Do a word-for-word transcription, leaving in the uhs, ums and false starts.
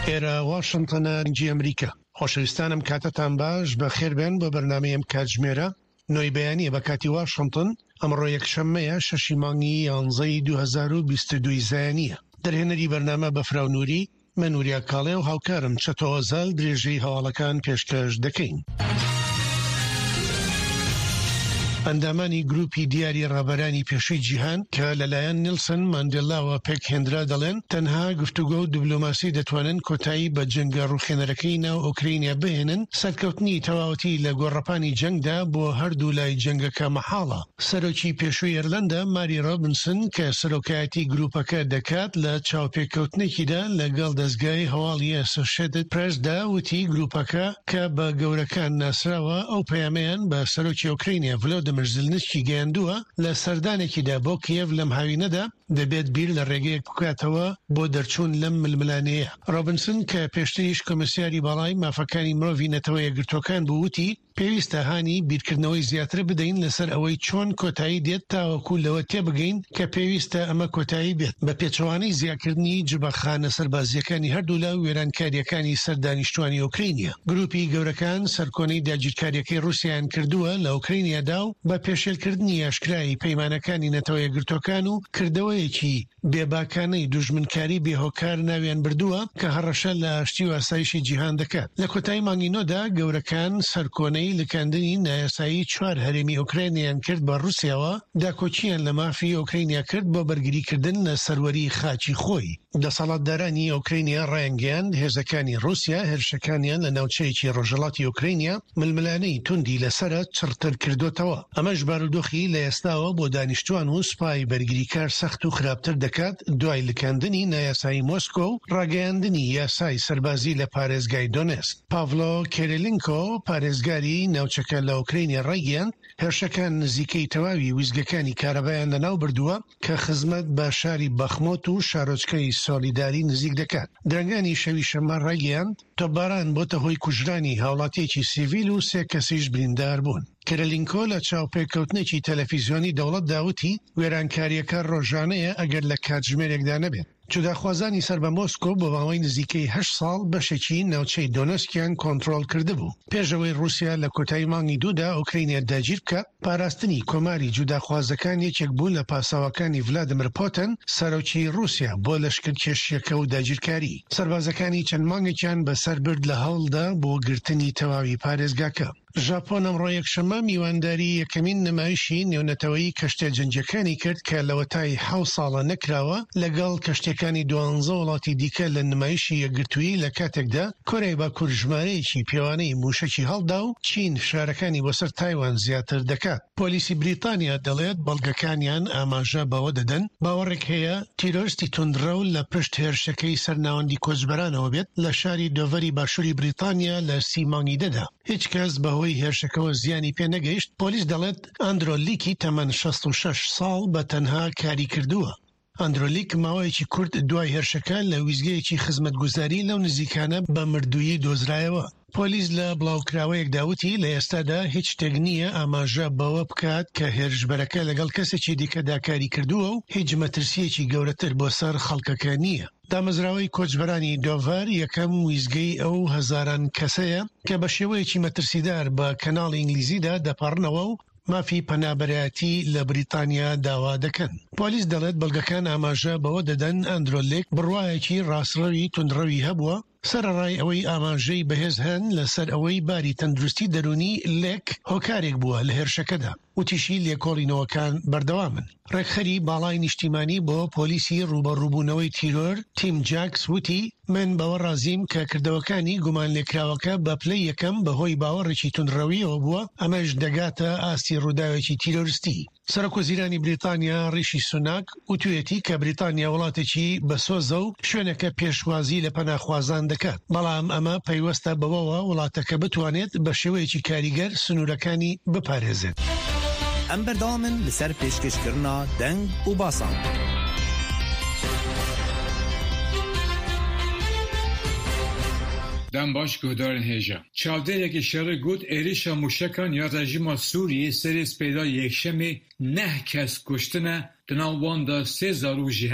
ئێرە واشنتنە دەنگی ئەمریکا. خۆشەویستانم کاتتان باش، بەخێربێن بۆ بەرنامەی ئەم کاتژمێرە نۆی بەیانیە بە کاتی واشنتن. ئەمڕۆ یەکشەممەیە شەشی مانگی یانزەی دوو هەزار و بیست و دوو زایانیە. دەرهێنەری بەرنامە بەفراو نوری، من وریا کاڵێ و هاوکارم چەتۆ ئۆزال درێژەی هەواڵەکان پێشکەش دەکەین. ئەندامانی گروپی دیاری ڕابەرانی پێشووی جیهان کە لەلایەن نیلسن ماندێلاوە پێکهێنرا دەڵێن تەنها گفتوگۆ و دیبلۆماسی دەتوانن کۆتایی بە جەنگە ڕووخێنەرەکەی ناو ئۆکرینیا بهێنن. سەرکەوتنی تەواوەتی لە گۆڕەپانی جەنگدا بۆ هەردوو لای جەنگەکە مەحاڵە. سەرۆکی پێشووی ئێرلەندا ماری ڕۆبنسن کە سەرۆکایەتی گروپەکە دەکات لە چاوپێکەوتنێکیدا لەگەڵ دەزگای هەواڵی ئەسۆشێتد پرێسدا وتی گروپەکە کە بە گەورەکان ناسراوە ئەو پەیامەیان بە سەرۆکی ئۆکرینیا ڤلۆدیمیر زیلنسکی گەیاندووە لە سەردانێکیدا بۆ کیێڤ لەم هاوینەدا دەبێت بیر لە ڕێگەیەک بکاتەوە بۆ دەرچوون لەم ململانێیە. ڕۆبنسن کە پێشتریش کۆمیسیاری باڵای مافەکانی مرۆڤی نەتەوە یەکگرتووەکان بوو وتی پێویستە هانی بیرکردنەوەی زیاتر بدەین لەسەر ئەوەی چۆن کۆتایی دێت تاوەکو لەوە تێبگەین کە پێویستە ئەمە کۆتایی بێت بە پێچەوانەی زیاکردنی جبەخانە سەربازیەکانی هەردوولا و وێرانکاریەکانی سەر دانیشتوانی ئۆکرینیا. گروپی گەورەکان سەرکۆنەی داگیرکاریەکەی ڕووسیایان کردووە لە ئۆکرینیادا و بە پێشێلکردنی ئاشکرای پەیمانەکانی نەتەوە یەکگرتووەکان و کردەوەیەکی بێباکانەی دوژمنکاری بێهۆکار ناویان بردووە کە هەڕەشە لە ئاشتی و ئاسایشی جیهان دەکات. لە کۆتایی مانگی نۆدا گەورەکان سەرکۆنەی لکاندنی نایاسایی چوار هەرێمی ئۆکرانیان کرد بە ڕووسیاوە، داکۆکییان لە مافی ئۆکرانیا کرد بۆ بەرگریکردن لە سەروەری خاکی خۆی. دەسەڵاتدارانی ئۆکرانیا ڕایانگەیاند هێزەکانی ڕووسیا هێرشەکانیان لە ناوچەیەکی ڕۆژهەڵاتی ئۆکرانیا ململانێی توندی لەسەرە چڕتر کردوتەوە. ئەمەش بارودۆخی لە ئێستاوە بۆ دانیشتوان و سوپای بەرگریکار سەخت و خراپتر دەکات دوای لکاندنی نایاسایی مۆسکۆ و ڕاگەیاندنی یاسای سەربازی لە پارێزگای دۆنێسک. پاڤلۆ کێرێلینکۆ پارێزگاری ناوچەکە لە ئۆکرانیا ڕایگەیاند هێرشەکان نزیکەی تەواوی ویزگەکانی کارەبایان لەناو بردووە کە خزمەت بە شاری بەخمۆت و شارۆچکەی سۆلیداری نزیک دەکات. درەنگانی شەوی شەممە ڕایگەیاند تۆپباران بۆتە هۆی کوژرانی هاوڵاتیەکی سیڤیل و سێ کەسیش بریندار بوون. کێرێلینکۆ لە چاوپێکەوتنێکی تەلەفیزیۆنی دەوڵەتدا وتی وێرانکاریەکە ڕۆژانەیە ئەگەر لە کاتژمێرێکدا نەبێت. جوداخوازانی سەر بە مۆسکۆ بۆ ماوەی نزیکەی هەشت ساڵ بەشێکی ناوچەی دۆنێسکیان کۆنترۆڵ کردبوو. پێشەوەی ڕووسیا لە کۆتایی مانگی دوودا ئۆکرینیا داگیر بکات، پاراستنی کۆماری جوداخوازەکان یەکێک بوو لە پاساوەکانی ڤلادیمیر پوتن سەرۆکی ڕووسیا بۆ لەشکرکێشیەکە و داگیرکاری. سەربازەکانی چەند مانگێکیان بەسەر برد لە هەوڵدا بۆ گرتنی تەواوی پارێزگاکە. ژاپۆن ئەمڕۆ یەکشەممە میوانداری یەکەمین نمایشی نێونەتەوەیی کەشتیە جەنگیەکانی کرد کە لەوەتای حەوت ساڵە نەکراوە لەگەڵ کەشتیەکانی دوانزە وڵاتی دیکە لە نمایشی یەکگرتوویی، لە کاتێکدا کۆریای باکوور ژمارەیەکی پێوانەی موشەکی هەڵدا و چین فشارەکانی بۆ سەر تایوان زیاتر دەکات. پۆلیسی بریتانیا دەڵێت بەڵگەکانیان ئاماژە بەوە دەدەن باوەڕێک هەیە تیرۆریستی توندڕەو لە پشت هێرشەکەی سەر ناوەندی کۆچبەرانەوە بێت لە شاری دۆڤەری باشووری بریتانیا لە سی مانگی دەدا. هیچ کەس بەهۆی هێرشەکەوە زیانی پێ نەگەیشت. پۆلیس دەڵێت ئەندرۆ لیکی تەمەن شەست و شەش ساڵ بە تەنها کاری کردووە. ئەندرۆ لیک ماوەیەکی کورت دوای هێرشەکە لە ویزگەیەکی خزمەتگوزاری لەو نزیکانە بە مردوویی دۆزرایەوە. پۆلیس لە بڵاوکراوەیەکدا وتی لە ئێستادا هیچ شتێک نییە ئاماژە بەوە بکات کە هێرشبەرەکە لەگەڵ کەسێکی دیکەدا کاری کردووە و هیچ مەترسیەکی گەورەتر بۆ سەر خەڵکەکە نییە. دامەزراوەی کۆچبەرانی دۆڤەر یەکەم ویزگەی ئەو هەزاران کەسەیە کە بە شێوەیەکی مەترسیدار بە کەناڵی ئینگلیزیدا دەپەڕنەوە و مافی پەنابەرایەتی لە بریتانیا داوا دەکەن. پۆلیس دەڵێت بەڵگەکان ئاماژە بەوە دەدەن ئەندرۆ لیک بڕوایەکی ڕاستڕەوی توندڕەوی هەبووە، سەرەڕای ئەوەی ئاماژەی بەهێز هەن لەسەر ئەوەی باری تەندروستی دەرونی لێک هۆکارێک بووە لە هێرشەکەدا. وتیشی لێکۆڵینەوەکان بەردەوامن. ڕێکخەری باڵای نیشتیمانی بۆ پۆلیسی ڕووبەڕووبوونەوەی تیرۆر تیم جاکس وتی من بەوە ڕازیم کە کردەوەکانی گومان لێکراوەکە بە پلەی یەکەم بەهۆی باوەڕێکی توندڕەویەوە بووە، ئەمەش دەگاتە ئاستی ڕووداوێکی تیرۆریستی. سەرۆک وەزیرانی بریتانیا ڕیشی سوناک وتویەتی کە بریتانیا وڵاتێکی بەسۆزە و شوێنەکە پێشوازی لە پەناخوازان دەکات، بەڵام ئەمە پەیوەستە بەوەوە وڵاتەکە بتوانێت بە شێوەیەکی کاریگەر سنوورەکانی بپارێزێت. ئەم بەردەوامن لەسەر پێشکەشکردنا دەنگ و باسان. دەم باش گوهدارên hêja. Çavdêrekî şerê got êrişa mûşekan ya rejîma Sûriyê serê spêda yekşemê neh kes kuştine di nav wan de sê zarok jî